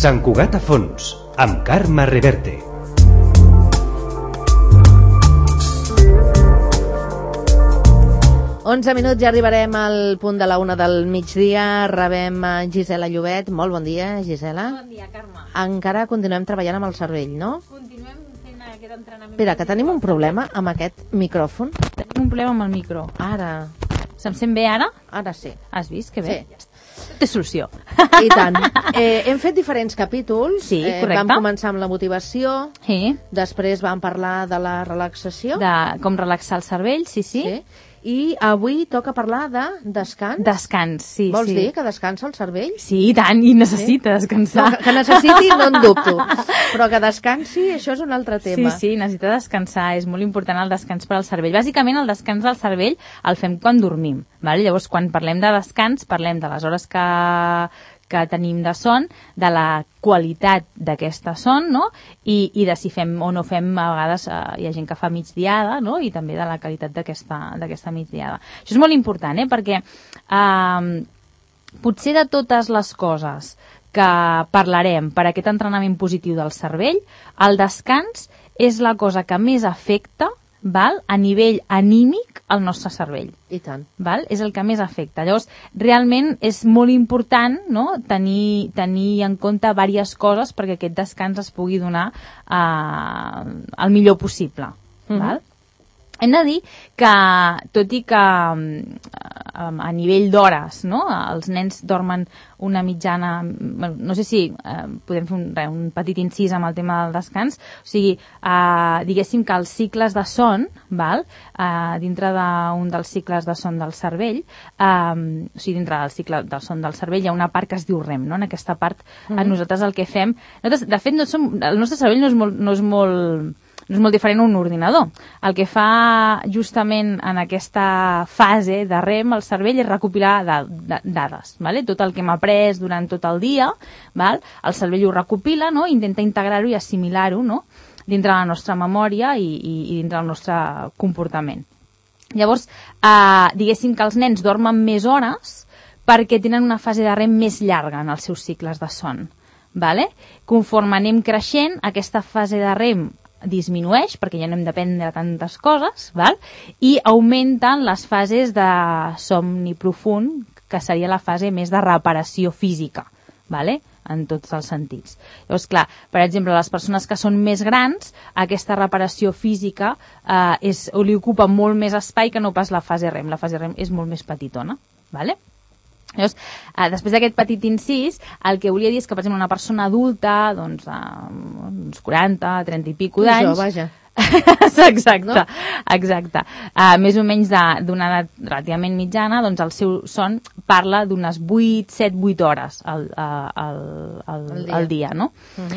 Sant Cugat a fons, amb Carme Reverte. Onze minuts, ja arribarem al punt de la 1 del migdia. Rebem Gisela Llobet. Molt bon dia, Gisela. Bon dia, Carme. Encara continuem treballant amb el cervell, no? Continuem fent aquest entrenament. Espera, que tenim un problema amb aquest micròfon. Tenim un problema amb el micro. Ara. Se'm sent bé ara? Ara sí. Has vist? Que bé. Sí. Té solució. I tant. Hem fet diferents capítols. Sí, correcte. Vam començar amb la motivació. Sí. Després vam parlar de la relaxació. De com relaxar el cervell, sí. I avui toca parlar de descans. Descans, sí. Vols dir que descansa el cervell? Sí, i tant, i necessita descansar. No, que necessiti no en dubto, però que descansi, això és un altre tema. Sí, necessita descansar, és molt important el descans per al cervell. Bàsicament el descans del cervell el fem quan dormim, vale? Llavors quan parlem de descans parlem de les hores que tenim de son, de la qualitat d'aquesta son, no? I de si fem o no fem, a vegades hi ha gent que fa migdiada, no? I també de la qualitat d'aquesta migdiada. Això és molt important, perquè potser de totes les coses que parlarem per aquest entrenament positiu del cervell, el descans és la cosa que més afecta, val, a nivell anímic al nostre cervell. I tant. Val? És el que més afecta. Llavors, realment és molt important, no? tenir en compte diverses coses perquè aquest descans es pugui donar el millor possible. Val? Hem de dir que, tot i que a nivell d'hores, no? Els nens dormen una mitjana, no sé si podem fer un petit incís amb el tema del descans, o sigui, diguéssim que els cicles de son, val? Dintre d'un dels cicles de son del cervell, o sigui, dintre del cicle del son del cervell hi ha una part que es diu REM, no? En aquesta part nosaltres el que fem, de fet el nostre cervell no és molt diferent a un ordinador. El que fa justament en aquesta fase de REM el cervell és recopilar dades, ¿vale? Tot el que hem après durant tot el dia, ¿val? El cervell ho recopila, no? Intenta integrar-ho i assimilar-ho, no? Dintre la nostra memòria i dintre el nostre comportament. Llavors, diguéssim que els nens dormen més hores perquè tenen una fase de REM més llarga en els seus cicles de son. ¿Vale? Conforme anem creixent, aquesta fase de REM disminueix, perquè ja no hem d'aprendre tantes coses, val? I augmenten les fases de somni profund, que seria la fase més de reparació física, vale? En tots els sentits. Llavors, clar, per exemple, les persones que són més grans, aquesta reparació física li ocupa molt més espai que no pas la fase REM. La fase REM és molt més petitona, vale? Llavors, després d'aquest petit incís, el que volia dir és que, per exemple, una persona adulta, doncs, uns 40, 30 i pico d'anys... Això, vaja. Exacte, no? Exacte. Més o menys d'una edat relativament mitjana, doncs el seu son parla d'unes 7-8 hores al dia, no?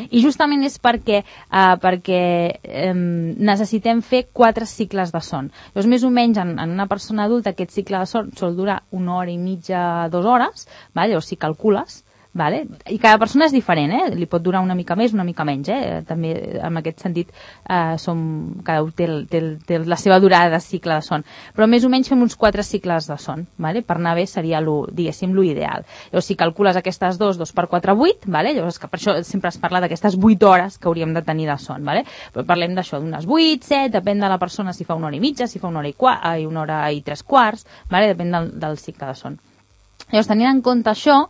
I justament és perquè necessitem fer 4 cicles de son. Llavors, més o menys, en una persona adulta, aquest cicle de son sol durar 1 hora i mitja, 2 hores, vale? Llavors, si calcules, vale? I cada persona és diferent, li pot durar una mica més, una mica menys, també en aquest sentit cada un té la seva durada de cicle de son, però més o menys fem uns 4 cicles de son, vale? Per anar bé seria diguéssim l'ideal. Llavors si calcules aquestes 2 per 4, 8, vale? Llavors que per això sempre es parla d'aquestes 8 hores que hauríem de tenir de son, vale? Però parlem d'això, d'unes 8, 7, depèn de la persona si fa 1 hora i mitja, si fa 1 hora i 3 quarts, vale? Depèn del cicle de son. Llavors, tenint en compte això,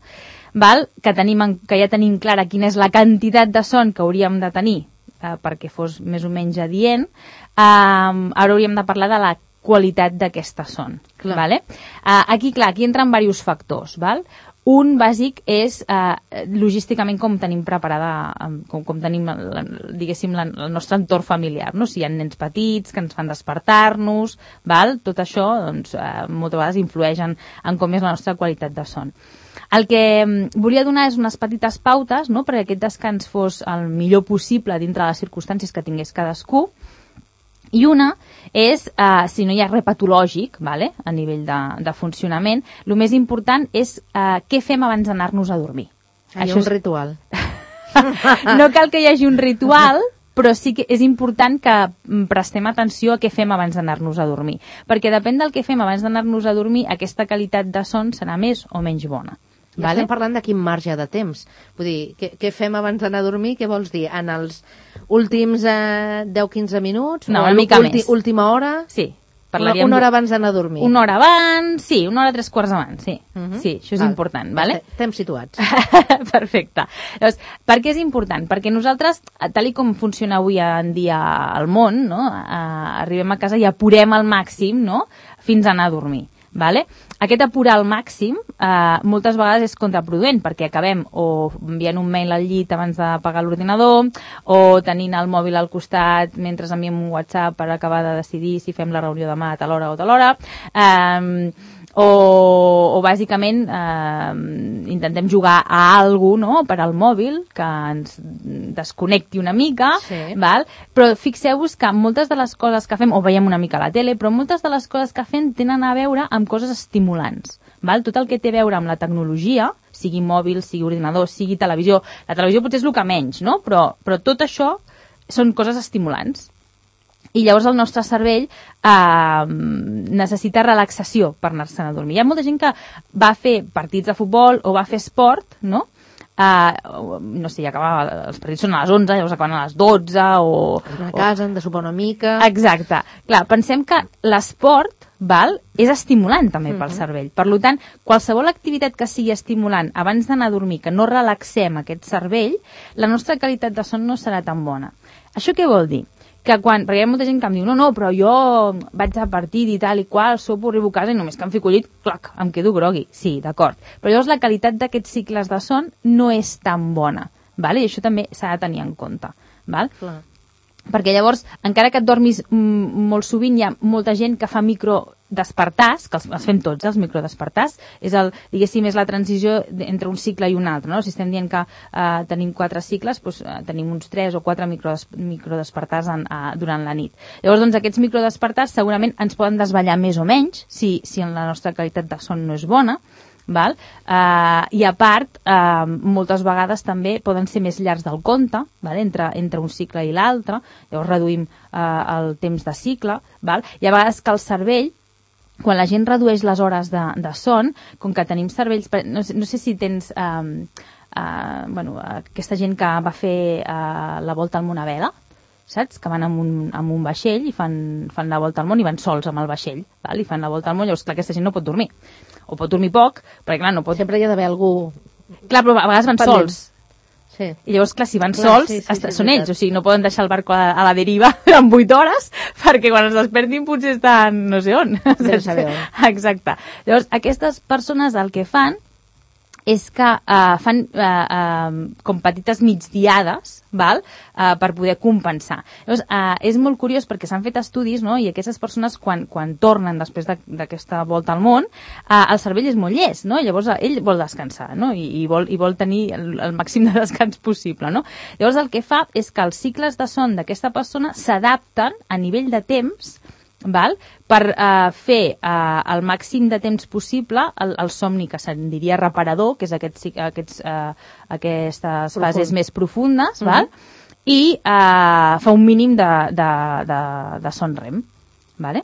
val? Que ja tenim clara quina és la quantitat de son que hauríem de tenir perquè fos més o menys adient, ara hauríem de parlar de la qualitat d'aquesta son. Vale? Aquí entren diversos factors. Val? Un bàsic és logísticament com tenim preparada, com tenim, diguéssim, el nostre entorn familiar, no? Si hi ha nens petits que ens fan despertar-nos, val? Tot això doncs, moltes vegades influeix en com és la nostra qualitat de son. El que volia donar és unes petites pautes, no?, perquè aquest descans fos el millor possible dintre de les circumstàncies que tingués cadascú. I una és, si no hi ha res patològic, vale? A nivell de funcionament, el més important és què fem abans d'anar-nos a dormir. Hi ha un ritual. No cal que hi hagi un ritual, però sí que és important que prestem atenció a què fem abans d'anar-nos a dormir. Perquè depèn del que fem abans d'anar-nos a dormir, aquesta qualitat de son serà més o menys bona. I estem parlant de quin marge de temps. Vull dir, què fem abans d'anar a dormir? Què vols dir? En els últims 10-15 minuts? No, o una mica més. Última hora? Sí. Una hora abans d'anar a dormir. Una hora abans, sí, una hora 3/4 abans, sí. Sí, això és important, vale? Estem situats. Perfecte. Llavors, per què és important? Perquè nosaltres, tal com funciona avui en dia al món, no? Arribem a casa i apurem al màxim, no? Fins a anar a dormir. Vale? Aquest apurar al màxim moltes vegades és contraproduent perquè acabem o enviant un mail al llit abans d'apagar l'ordinador o tenint el mòbil al costat mentre enviem un WhatsApp per acabar de decidir si fem la reunió demà a tal hora o tal hora o bàsicament intentem jugar a alguna cosa, no? Per al mòbil que ens desconnecti una mica, val? Però fixeu-vos que moltes de les coses que fem, o veiem una mica a la tele, però moltes de les coses que fem tenen a veure amb coses estimulants. Val? Tot el que té a veure amb la tecnologia, sigui mòbil, sigui ordinador, sigui televisió, la televisió potser és el que menys, no? Però tot això són coses estimulants. I llavors el nostre cervell necessita relaxació per anar-se'n a dormir. Hi ha molta gent que va fer partits de futbol o va fer esport, no? No sé, els partits són a les 11, llavors acaben a les 12 o... A casa, han de sopar una mica... Exacte. Clar, pensem que l'esport és estimulant també pel cervell. Per tant, qualsevol activitat que sigui estimulant abans d'anar a dormir, que no relaxem aquest cervell, la nostra qualitat de son no serà tan bona. Això què vol dir? Que perquè hi ha molta gent que em diu no, però jo vaig a partit i tal i qual, sopo, arribo a casa i només que em fico al llit, clac, em quedo grogui. Sí, d'acord. Però llavors la qualitat d'aquests cicles de son no és tan bona, val? I això també s'ha de tenir en compte. Val? Clar. Perquè llavors, encara que et dormis molt sovint, hi ha molta gent que fa microdespertars, que els fem tots, els microdespertars, diguéssim, és la transició entre un cicle i un altre, no? Si estem dient que tenim 4 cicles, doncs tenim uns 3 o 4 microdespertars durant la nit. Llavors, doncs, aquests microdespertars segurament ens poden desvetllar més o menys, si la nostra qualitat de son no és bona, val? I a part moltes vegades també poden ser més llargs del compte, val? Entre un cicle i l'altre, llavors reduïm el temps de cicle, val? I a vegades que el cervell, quan la gent redueix les hores de son, com que tenim cervells, no sé si tens aquesta gent que va fer la volta al món a vela, saps? Que van amb un vaixell i fan la volta al món i van sols amb el vaixell, val? I fan la volta al món, llavors clar, aquesta gent no pot dormir. O pot dormir poc, perquè clar, no pot... Sempre hi ha d'haver algú... Clar, però a vegades van sols. Sí. I llavors, clar, si van sols, són ells, o sigui, no poden deixar el barco a la deriva en 8 hores, perquè quan es despertin potser estan no sé on. No saber on. Exacte. Llavors, aquestes persones el que fan és que fan com petites migdiades, val? Per poder compensar. Llavors, és molt curiós perquè s'han fet estudis, no? I aquestes persones quan tornen després d'aquesta volta al món, el cervell és molt llest, no? Llavors ell vol descansar, no? I vol tenir el màxim de descans possible, no? Llavors el que fa és que els cicles de son d'aquesta persona s'adapten a nivell de temps, val? Per fer el màxim de temps possible el somni que se'n diria reparador, que és aquestes fases més profundes, val? I fa un mínim de son REM, vale?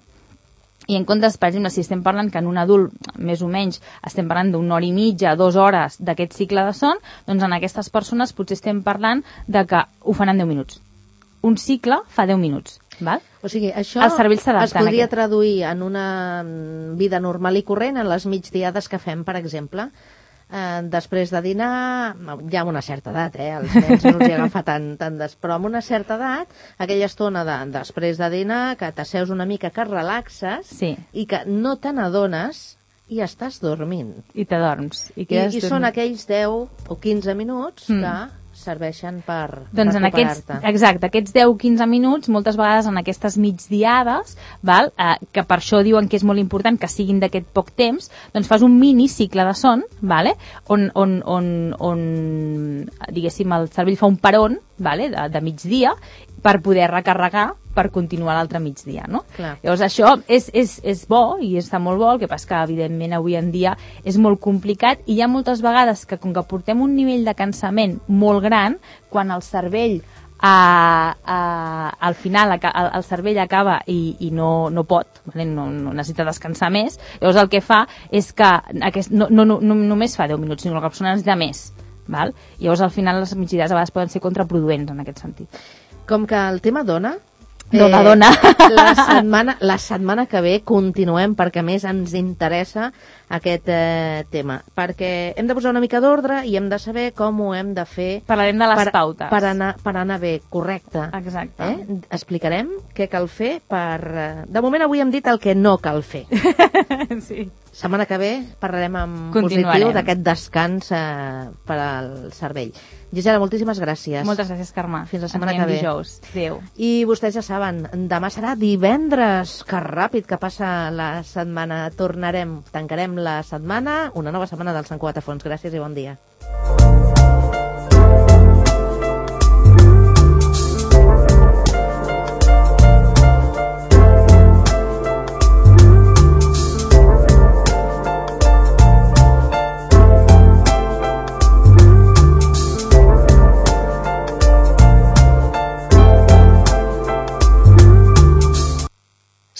I en comptes, per exemple, si estem parlant que en un adult, més o menys, estem parlant d'una hora i mitja, 2 hores d'aquest cicle de son, doncs en aquestes persones potser estem parlant de que ho fan en 10 minuts. Un cicle fa 10 minuts, val? O sigui, això es podria traduir en una vida normal i corrent, en les migdiades que fem, per exemple. Després de dinar, ja amb una certa edat, els nens no els hi agafa tant però amb una certa edat, aquella estona després de dinar, que t'asseus una mica, que relaxes, i que no te n'adones i estàs dormint. I t'adorms. I són aquells 10 o 15 minuts que serveixen per recuperar-te. Exacte, aquests 10-15 minuts, moltes vegades en aquestes migdiades, val? Que per això diuen que és molt important que siguin d'aquest poc temps, doncs fas un mini cicle de son, vale? on diguéssim, el cervell fa un peron, vale? de migdia, per poder recarregar per continuar l'altre migdia, no? Clar. Llavors això és bo i està molt bo, el que passa que evidentment avui en dia és molt complicat i hi ha moltes vegades que com que portem un nivell de cansament molt gran, quan el cervell al final el cervell acaba i no pot, no necessita descansar més, llavors el que fa és que no només fa 10 minuts, sinó que la persona necessita més, val? Llavors al final les migdiades a vegades poden ser contraproduents en aquest sentit. Com que el tema dona, la setmana que ve continuem, perquè a més ens interessa aquest tema, perquè hem de posar una mica d'ordre i hem de saber com ho hem de fer. Parlarem de les pautes per anar bé, correcte. Exacte. Explicarem què cal fer de moment avui hem dit el que no cal fer. Sí. Setmana que ve parlarem en positiu d'aquest descans per al cervell. Gisela, moltíssimes gràcies. Moltes gràcies, Carme. Fins la setmana que ve. Dijous. Adéu. I vostès ja saben, demà serà divendres. Que ràpid que passa la setmana. Tancarem la setmana, una nova setmana del Sant Cugat a Fons. Gràcies i bon dia.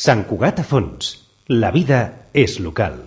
Sant Cugat a Fons. La vida és local.